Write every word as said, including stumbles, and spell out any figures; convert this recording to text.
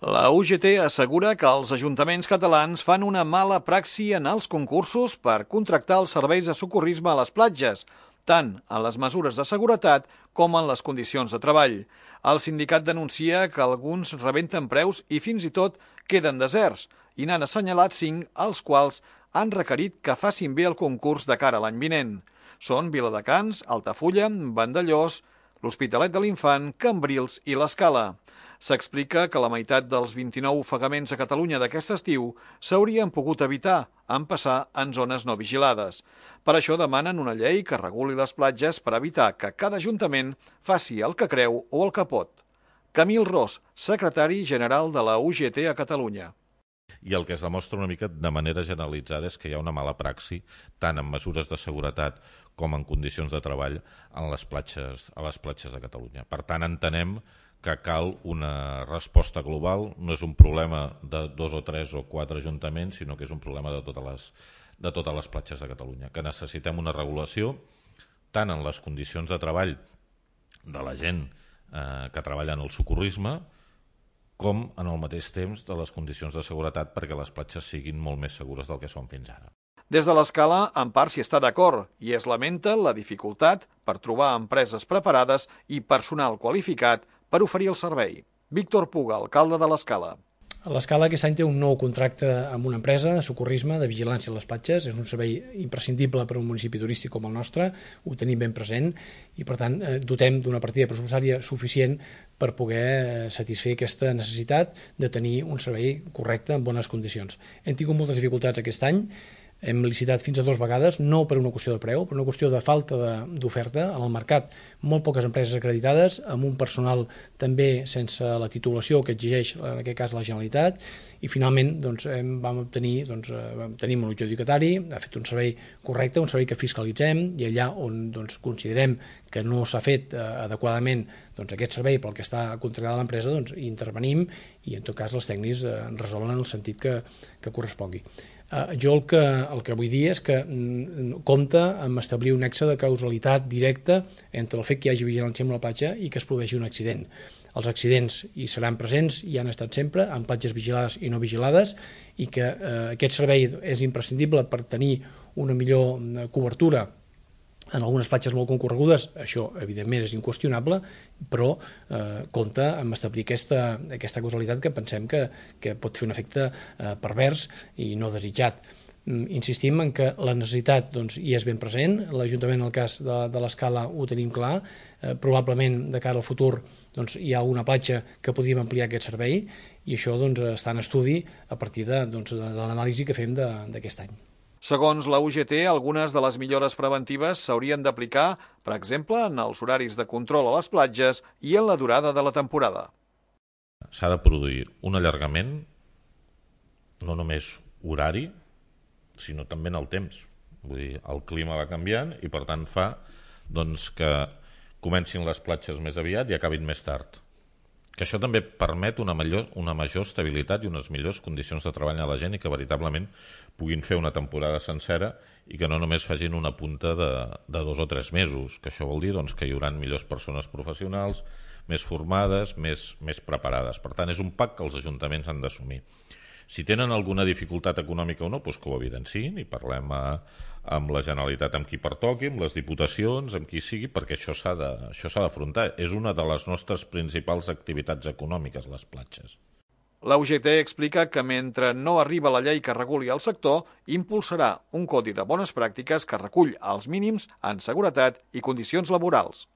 La U G T assegura que els ajuntaments catalans fan una mala praxi en els concursos per contractar els serveis de socorrisme a les platges, tant en les mesures de seguretat com en les condicions de treball. El sindicat denuncia que alguns rebenten preus i fins i tot queden deserts, i n'han assenyalat cinc, els quals han requerit que facin bé el concurs de cara a l'any vinent. Són Viladecans, Altafulla, Vandellòs, l'Hospitalet de l'Infant, Cambrils i l'Escala. S'explica que la meitat dels vint-i-nou ofegaments a Catalunya d'aquest estiu s'haurien pogut evitar en passar en zones no vigilades. Per això demanen una llei que reguli les platges per evitar que cada ajuntament faci el que creu o el que pot. Camil Ros, secretari general de la U G T a Catalunya. I el que es demostra una mica de manera generalitzada és que hi ha una mala praxi, tant en mesures de seguretat com en condicions de treball en les platges, a les platges de Catalunya. Per tant, entenem que cal una resposta global, no és un problema de dos o tres o quatre ajuntaments, sinó que és un problema de totes les, de totes les platges de Catalunya, que necessitem una regulació tant en les condicions de treball de la gent eh, que treballa en el socorrisme, com en el mateix temps de les condicions de seguretat perquè les platges siguin molt més segures del que són fins ara. Des de l'Escala, en part s'hi està d'acord i es lamenta la dificultat per trobar empreses preparades i personal qualificat per oferir el servei. Víctor Puga, alcalde de l'Escala. L'Escala aquest any té un nou contracte amb una empresa de socorrisme, de vigilància a les platges. És un servei imprescindible per a un municipi turístic com el nostre, ho tenim ben present i, per tant, dotem d'una partida pressupostària suficient per poder satisfer aquesta necessitat de tenir un servei correcte en bones condicions. Hem tingut moltes dificultats aquest any. Hem licitat fins a dues vegades, no per una qüestió de preu, per una qüestió de falta d'oferta en el mercat. Molt poques empreses acreditades, amb un personal també sense la titulació que exigeix, en aquest cas, la Generalitat, i finalment doncs, hem, vam obtenir, doncs, vam tenir un adjudicatari, ha fet un servei correcte, un servei que fiscalitzem, i allà on doncs, considerem que no s'ha fet eh, adequadament doncs, aquest servei pel que està contractada l'empresa, doncs, intervenim i en tot cas els tècnics eh, resolen en el sentit que, que correspongui. Uh, jo el que, el que vull dir és que mm, compta amb establir un nexe de causalitat directa entre el fet que hi hagi vigilància amb la platja i que es produeixi un accident. Els accidents hi seran presents, hi han estat sempre, en platges vigilades i no vigilades, i que uh, aquest servei és imprescindible per tenir una millor uh, cobertura en algunes platges molt concorregudes. Això evidentment és inqüestionable, però eh, compta amb establir aquesta, aquesta causalitat que pensem que, que pot fer un efecte eh, pervers i no desitjat. Mm, insistim en que la necessitat doncs, hi és ben present, l'Ajuntament en el cas de, de l'Escala ho tenim clar, eh, probablement de cara al futur doncs, hi ha alguna platja que podríem ampliar aquest servei i això doncs, està en estudi a partir de, doncs, de, de l'anàlisi que fem d'aquest any. Segons la U G T, algunes de les millores preventives s'haurien d'aplicar, per exemple, en els horaris de control a les platges i en la durada de la temporada. S'ha de produir un allargament, no només horari, sinó també en el temps. Vull dir, el clima va canviant i, per tant, fa doncs, que comencin les platges més aviat i acabin més tard. Que això també permet una major, una major estabilitat i unes millors condicions de treball a la gent i que veritablement puguin fer una temporada sencera i que no només facin una punta de, de dos o tres mesos, que això vol dir doncs, que hi haurà millors persones professionals, més formades, més, més preparades. Per tant, és un pack que els ajuntaments han d'assumir. Si tenen alguna dificultat econòmica o no, doncs que ho evidenciïn i parlem a, amb la Generalitat, amb qui pertoqui, amb les diputacions, amb qui sigui, perquè això s'ha de, això s'ha d'afrontar. És una de les nostres principals activitats econòmiques, les platges. La U G T explica que mentre no arriba la llei que reguli el sector, impulsarà un codi de bones pràctiques que recull els mínims en seguretat i condicions laborals.